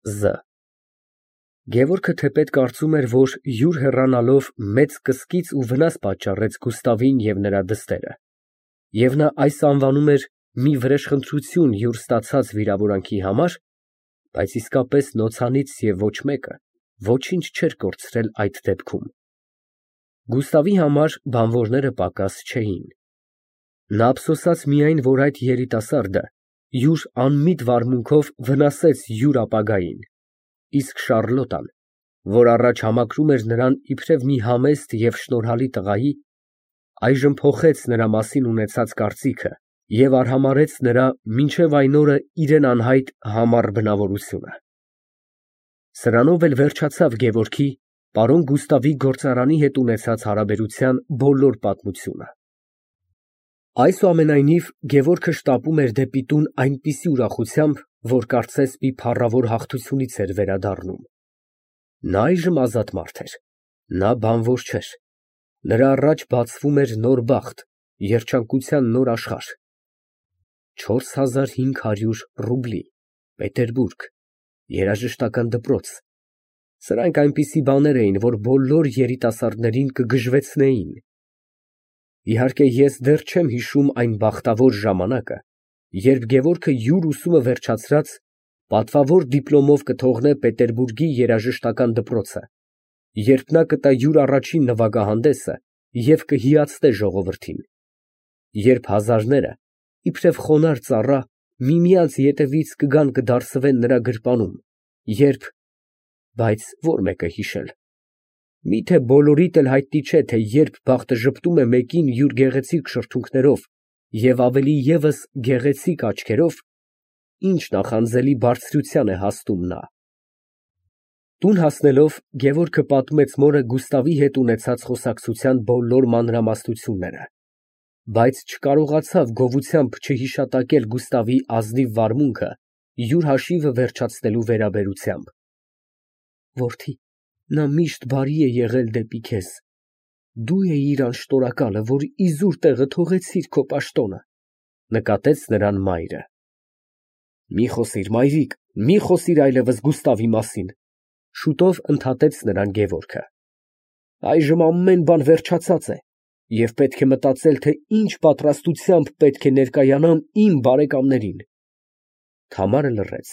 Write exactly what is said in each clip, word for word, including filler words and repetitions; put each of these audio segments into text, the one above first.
Զ Գևորգը թեպետ կարծում էր, որ յուր հեռանալով մեծ կսկիծ ու վնաս պատճառեց Գուստավին և նրա դստերը, և նա այս անվանում էր մի վրեժխնդրություն յուր ստացած վիրավորանքի համար, բայց իսկապես նոցանից և ոչ մեկը ոչինչ չէր կորցրել այդ դեպքում։ Գուստավի համար բանվորները պակաս չէին։ Նա ափսոսաց միայն, որ այդ երիտասարդը յուր անմիտ վարմունքով վնասեց յուր ապագային, իսկ Շառլոտան, որ առաջ համակրում էր նրան իբրև մի համեստ և շնորհալի տղայի, այժմ փոխեց նրա մասին ունեցած կարծիքը և արհամարհեց նրա մինչև այն օրը իրան անհայտ համառ բնավորությունը։ Սրանով էլ վերջացավ Գևորգի պարոն Գուստավի գործարանի հետ ունեցած հարաբերության բոլոր պատմությունը։ Այսուամենայնիվ, Գևորգը շտապում էր դեպի տուն այնպիսի ուրախությամբ, որ կարծես մի փառավոր հաղթությունից էր վերադառնում։ Նա այժմ ազատ մարդ էր, նա բանվոր չէր, նրա առաջ բացվում էր նոր բախտ, երջանկության նոր աշխարհ։ Չորս հազար հինգ հարյուր ռուբլի, Պետերբուրգ, երաժշտական դպրոց, ֊ սրանք այնպիսի բաներ էին, որ բոլոր երիտասարդներին կգժվեցնեին։ Իհարկե, ես դեռ չեմ հիշում այն բախտավոր ժամանակը, երբ Գևորգը յուր ուսումը վերջացրած, պատվավոր դիպլոմով կթողնե Պետերբուրգի երաժշտական դպրոցը, երբ նա կտա յուր առաջին նվագահանդեսը և կհիացնե ժողովրդին, երբ հազարները, իբրև խոնարհ ծառա, միմյանց ետևից կգան կդարսվեն նրա գրպանում, երբ… Բայց ո՞ր մեկը հիշել։ Միթե բոլորիդ էլ հայտնի չէ, թե երբ բախտը ժպտում է մեկին յուր գեղեցիկ շրթունքներով և ավելի ևս գեղեցիկ աչքերով, ինչ նախանձելի բարձրության է հասնում նա։ Տուն հասնելով, Գևորգը պատմեց մորը Գուստավի հետ ունեցած խոսակցության բոլոր մանրամասնությունները, բայց չկարողացավ գովությամբ չհիշատակել Գուստավի ազնիվ վարմունքը յուր հաշիվը վերջացնելու վերաբերությամբ։ Որդի, նա միշտ բարի է եղել դեպի քեզ, դու էիր անշտորակալը, որ իզուր տեղը թողեցիր քո պաշտոնը, ֊ նկատեց նրան մայրը։ Մի խոսիր, մայրիկ, մի խոսիր այլևս Գուստավի մասին, ֊ շուտով ընդհատեց նրան Գևորգը։ Այժմ ամեն բան վերջացած է, և պետք է մտածել, թե ինչ պատրաստությամբ պետք է ներկայանամ իմ բարեկամներին։ (Թամարը լռեց)։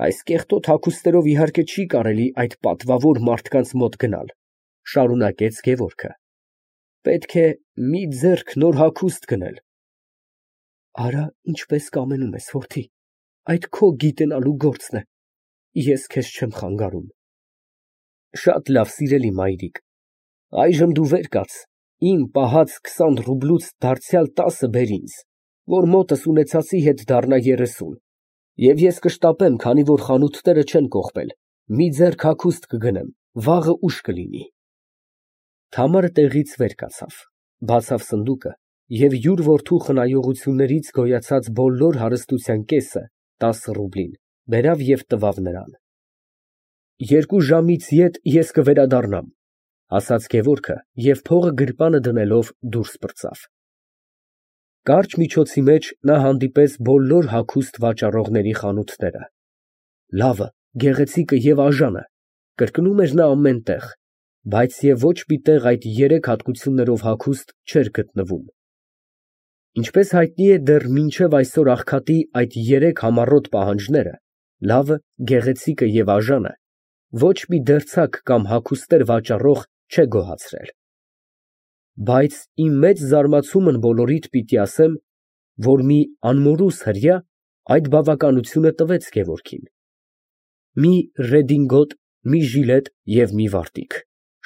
Այս կեղտոտ հագուստներով իհարկե չի կարելի այդ պատվավոր մարդկանց մոտ գնալ, ֊ շարունակեց Գևորգը, պետք է մի ձեռք նոր հագուստ գնել։ Արա, ինչպես կամենում ես, որդի, այդ քո գիտենալու գործն է, ես քեզ չեմ խանգարում։ Շատ լավ, սիրելի մայրիկ, այժմ դու վեր կաց, իմ պահած քսան ռուբլուց դարձյալ տասը բեր ինձ, որ մոտս ունեցածի հետ դառնա երեսուն, և ես կշտապեմ, քանի որ խանութները չեն կողպել, մի ձեռք հագուստ կգնեմ, վաղը ուշ կլինի։ Թամարը տեղից վեր կացավ, բացավ սնդուկը և յուր որդու խնայողություններից գոյացած բոլոր հարստության կեսը, տասը ռուբլին, բերավ և տվավ նրան։ Երկու ժամից ետ ես կվերադառնամ, ֊ ասաց Գևորգը և փողը գրպանը դնելով դուրս պրծավ։ Կարճ միջոցի մեջ նա հանդիպեց բոլոր հագուստ վաճառողների խանութները։ Լավը, գեղեցիկը և աժանը, կրկնում էր նա ամեն տեղ, բայց և ոչ մի տեղ այդ երեք հատկություններով հագուստ չէր գտնվում։ Ինչպես հայտնի է, դեռ մինչև այսօր աղքատի այդ երեք համառոտ պահանջները՝ լավը, գեղեցիկը և աժանը, ոչ մի դերձակ կամ հագուստներ վաճառող չէ գոհացրել։ Բայց իմ մեծ զարմացումն բոլորիդ պիտի ասեմ, որ մի անմորուս հրեա այդ բավականությունը տվեց Գևորգին։ Մի ռեդինգոտ, մի ժիլետ և մի վարտիք,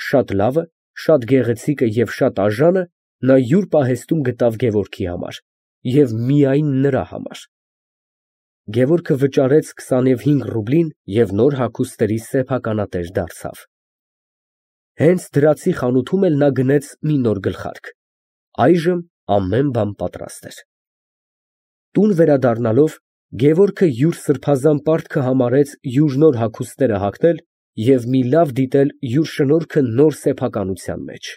շատ լավը, շատ գեղեցիկը և շատ աժանը նա յուր պահեստում գտավ Գևորգի համար և միայն նրա համար։ Գևորգը վճարեց քսանհինգ ռուբլին և նոր հագուստների սեփականատեր դարձավ։ Հենց դրացի խանութում էլ նա գնեց մի նոր գլխարկ։ Այժմ ամեն բան պատրաստ էր։ Տուն վերադառնալով, Գևորգը յուր սրբազան պարտքը համարեց յուր նոր հագուստները հագնել և մի լավ դիտել յուր շնորհքը նոր սեփականության մեջ։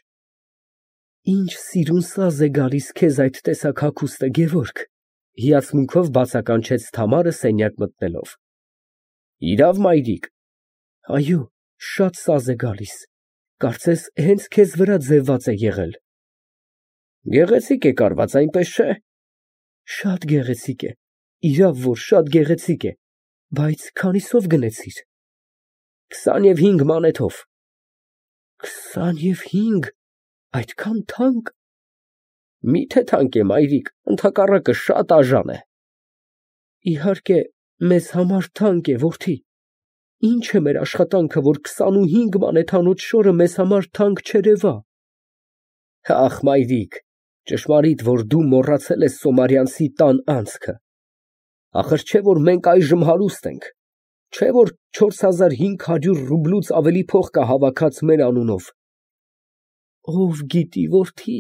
Ինչ սիրուն սազ է գալիս քեզ այդ տեսակ հագուստը, Գևորգ, ֊ հիացմունքով բացականչեց Թամարը սենյակ մտնելով։ Իրավ, մայրիկ։ Այո, շատ սազ է գալիս, կարծես հենց քեզ վրա ձևված է եղել։ Գեղեցիկ է կարված, այնպես չէ։ Շատ գեղեցիկ է, իրավ որ շատ գեղեցիկ է, բայց քանիսով գնեցիր։ Քսանևհինգ մանեթով։ Քսանևհինգ, այդքան թանկ։ Միթե թանկ է, մայրիկ, ընդհակառակը շատ արժան է։ Իհարկե, մեզ համար թանկ է, որդի։ Ինչ է մեր աշխատանքը, որ քսանուհինգ մանեթանոց շորը մեզ համար թանկ չերևա։ Ախ, մայրիկ, ճշմարիտ, որ դու մոռացել ես Սոմարյանցի տան անցքը։ Ախր չէ, որ մենք այժմ հարուստ ենք, չէ, որ չորս հազար հինգ հարյուր ռուբլուց ավելի փող կա հավաքած մեր անունով։ Ով գիտի, որդի,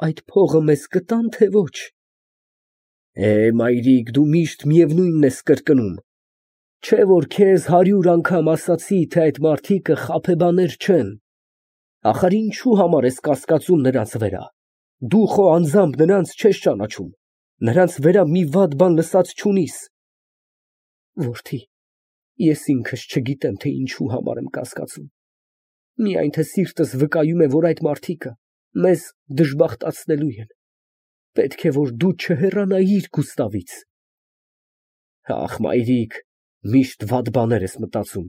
այդ փողը մեզ կտա՞ն, թե ոչ։ Է, մայրիկ, դու միշտ միևնույնն ես կրկնում։ Չէ, որ քեզ հարյուր անգամ ասացի, թե այդ մարդիկը խաբեբաներ չեն։ Ախար ինչու համար ես կասկածում նրանց վրա։ Դու խո անձամբ նրանց չես ճանաչում, նրանց վրա մի վատ բան լսած չունիս։ Որդի, ես ինքս չգիտեմ, թե ինչու համար եմ կասկածում։ Միայն թե սիրտս վկայում է, որ այդ մարդիկը մեզ դժբախտացնելու են։ Պետք է, որ դու չհեռանայիր Գուստավից։ Ախ, մայրիկ, միշտ վատ բաներ ես մտածում։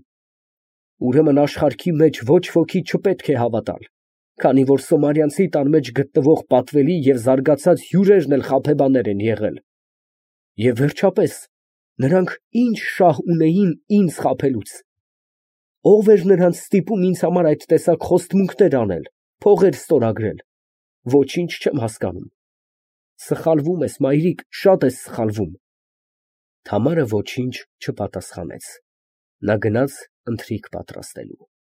Ուրեմն աշխարհքի մեջ ոչ ոքի չպետք է հավատալ, քանի որ Սոմարյանցի տան մեջ գտնվող պատվելի և զարգացած հյուրերն էլ խաբեբաներ են եղել։ Եվ վերջապես, նրանք ինչ շահ ունեին ինձ խաբելուց։ Ո՞վ էր նրանց ստիպում ինձ համար այդ տեսակ խոստմունքներ անել, փողեր ստորագրել։ Ոչինչ չեմ հասկանում։ Սխալվում ես, մայրիկ, շատ ես սխալվում։ Թամարը ոչինչ չպատասխանեց։ Նա գնաց ընթրիք պատրաստելու։